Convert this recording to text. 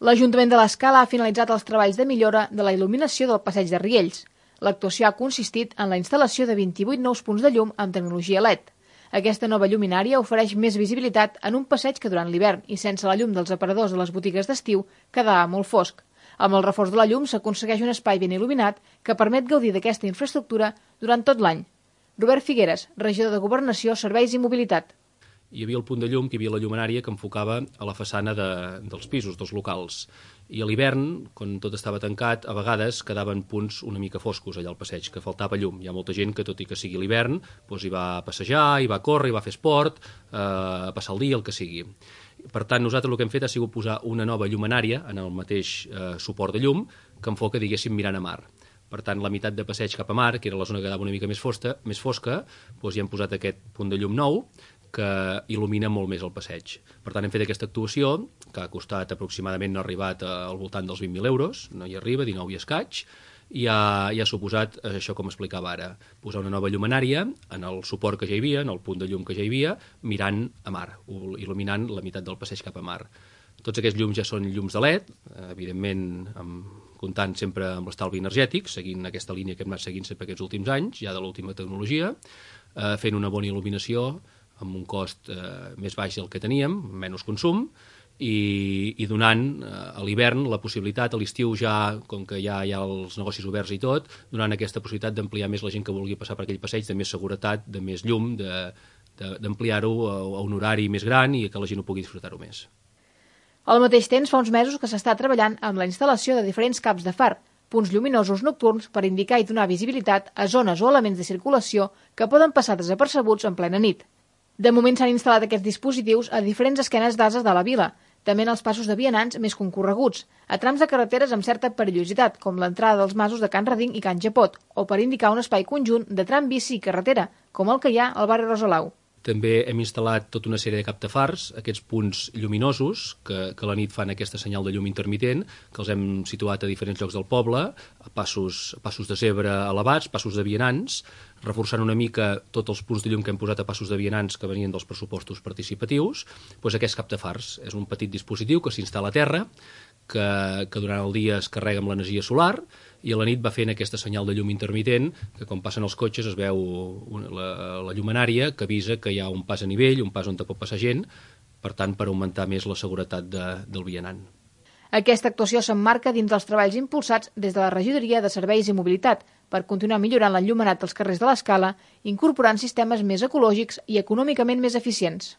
L'Ajuntament de l'Escala ha finalitzat els treballs de millora de la il·luminació del passeig de Riells. L'actuació ha consistit en la instal·lació de 28 nous punts de llum amb tecnologia LED. Aquesta nova lluminària ofereix més visibilitat en un passeig que durant l'hivern i sense la llum dels aparadors de les botigues d'estiu quedava molt fosc. Amb el reforç de la llum s'aconsegueix un espai ben il·luminat que permet gaudir d'aquesta infraestructura durant tot l'any. Robert Figueres, regidor de Governació, Serveis i Mobilitat. Hi havia el punt de llum, que hi havia la llumenària que enfocava a la façana dels pisos, dels locals. I a l'hivern, quan tot estava tancat, a vegades quedaven punts una mica foscos allà al passeig, que faltava llum. Hi ha molta gent que, tot i que sigui l'hivern, hi va passejar, hi va córrer, hi va fer esport, a passar el dia, el que sigui. Per tant, nosaltres el que hem fet ha sigut posar una nova llumenària en el mateix suport de llum que enfoca, diguéssim, mirant a mar. Per tant, la meitat de passeig cap a mar, que era la zona que quedava una mica més fosca, hi hem posat aquest punt de llum nou que il·lumina molt més el passeig. Per tant, hem fet aquesta actuació, que ha costat aproximadament, no ha arribat al voltant dels 20.000 euros, no hi arriba, 19 i escaig, i ha suposat, això com explicava ara, posar una nova llumenària en el suport que ja hi havia, en el punt de llum que ja hi havia, mirant a mar, il·luminant la meitat del passeig cap a mar. Tots aquests llums ja són llums de LED, evidentment comptant sempre amb l'estalvi energètic, seguint aquesta línia que hem anat seguint sempre aquests últims anys, ja de l'última tecnologia, fent una bona il·luminació amb un cost més baix del que teníem, menys consum, i donant a l'hivern la possibilitat, a l'estiu ja, com que ja hi ha els negocis oberts i tot, donant aquesta possibilitat d'ampliar més la gent que vulgui passar per aquell passeig, de més seguretat, de més llum, d'ampliar-ho a un horari més gran i que la gent ho pugui disfrutar-ho més. Al mateix temps, fa uns mesos que s'està treballant amb la instal·lació de diferents caps de far, punts lluminosos nocturns per indicar i donar visibilitat a zones o elements de circulació que poden passar desapercebuts en plena nit. De moment s'han instal·lat aquests dispositius a diferents esquenes d'ases de la vila, també en els passos de vianants més concorreguts, a trams de carreteres amb certa perillositat, com l'entrada dels masos de Can Reding i Can Japot, o per indicar un espai conjunt de tram bici i carretera, com el que hi ha al barri Rosalau. També hem instal·lat tota una sèrie de captafars, aquests punts lluminosos que a la nit fan aquesta senyal de llum intermitent, que els hem situat a diferents llocs del poble, a passos de zebra elevats, passos de vianants, reforçant una mica tots els punts de llum que hem posat a passos de vianants que venien dels pressupostos participatius. Doncs aquests captafars és un petit dispositiu que s'instal·la a terra, que durant el dia es carrega amb l'energia solar i a la nit va fent aquesta senyal de llum intermitent que quan passen els cotxes es veu la llumenària que avisa que hi ha un pas a nivell, un pas on pot passar gent, per tant per augmentar més la seguretat del vianant. Aquesta actuació s'emmarca dins dels treballs impulsats des de la Regidoria de Serveis i Mobilitat per continuar millorant l'enllumenat dels carrers de l'Escala, incorporant sistemes més ecològics i econòmicament més eficients.